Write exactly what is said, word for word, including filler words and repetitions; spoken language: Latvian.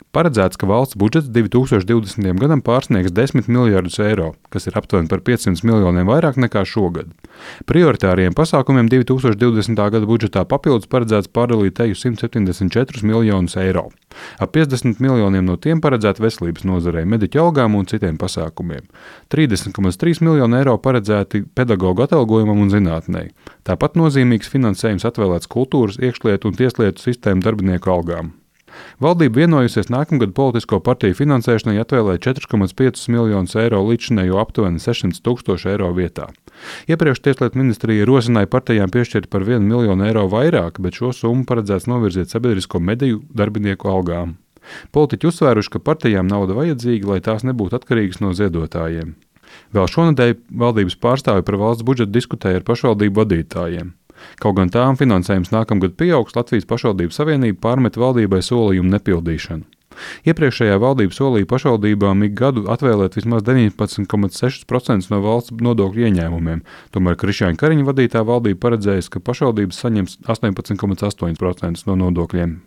Paredzēts, ka valsts budžets divi tūkstoši divdesmitajam gadam pārsniegs desmit miljardus eiro, kas ir aptuveni par piecsimt miljoniem vairāk nekā šogad. Prioritāriem pasākumiem divi tūkstoši divdesmitā gada budžetā papildus paredzēts pārdalīt teju simt septiņdesmit četrus miljonus eiro. Ap piecdesmit miljoniem no tiem paredzēti veselības nozarei, mediķu algām un citiem pasākumiem. trīsdesmit komats trīs miljoni eiro paredzēti pedagoģu atalgojumam un zinātnei. Tāpat nozīmīgs finansējums atvēlēts kultūras, iekšlietu un tieslietu sistēmu darbinieku algām. Valdība vienojusies nākamgad politisko partiju finansēšanai atvēlēt četrus komats piecus miljonus eiro līdzinējo aptuveni sešsimt tūkstošu eiro vietā. Iepriekš Tieslietu ministrija rosināja partijām piešķirt par vienu miljonu eiro vairāk, bet šo summu paredzēts novirzīt sabiedrisko mediju darbinieku algām. Politiķi uzsvēruši, ka partijām nauda vajadzīga, lai tās nebūtu atkarīgas no ziedotājiem. Vēl šonedēļ valdības pārstāvi par valsts budžetu diskutēja ar pašvaldību vadītājiem. Kaut gan tām finansējums nākamgad pieaugs, Latvijas pašvaldību savienība pārmet valdībai solījumu nepildīšanu. Iepriekšējā valdība solīja pašvaldībām ik gadu atvēlēt vismaz deviņpadsmit komats sešus procentus no valsts nodokļu ieņēmumiem, tomēr Krišjāņa Kariņa vadītā valdība paredzējusi, ka pašvaldības saņems astoņpadsmit komats astoņus procentus no nodokļiem.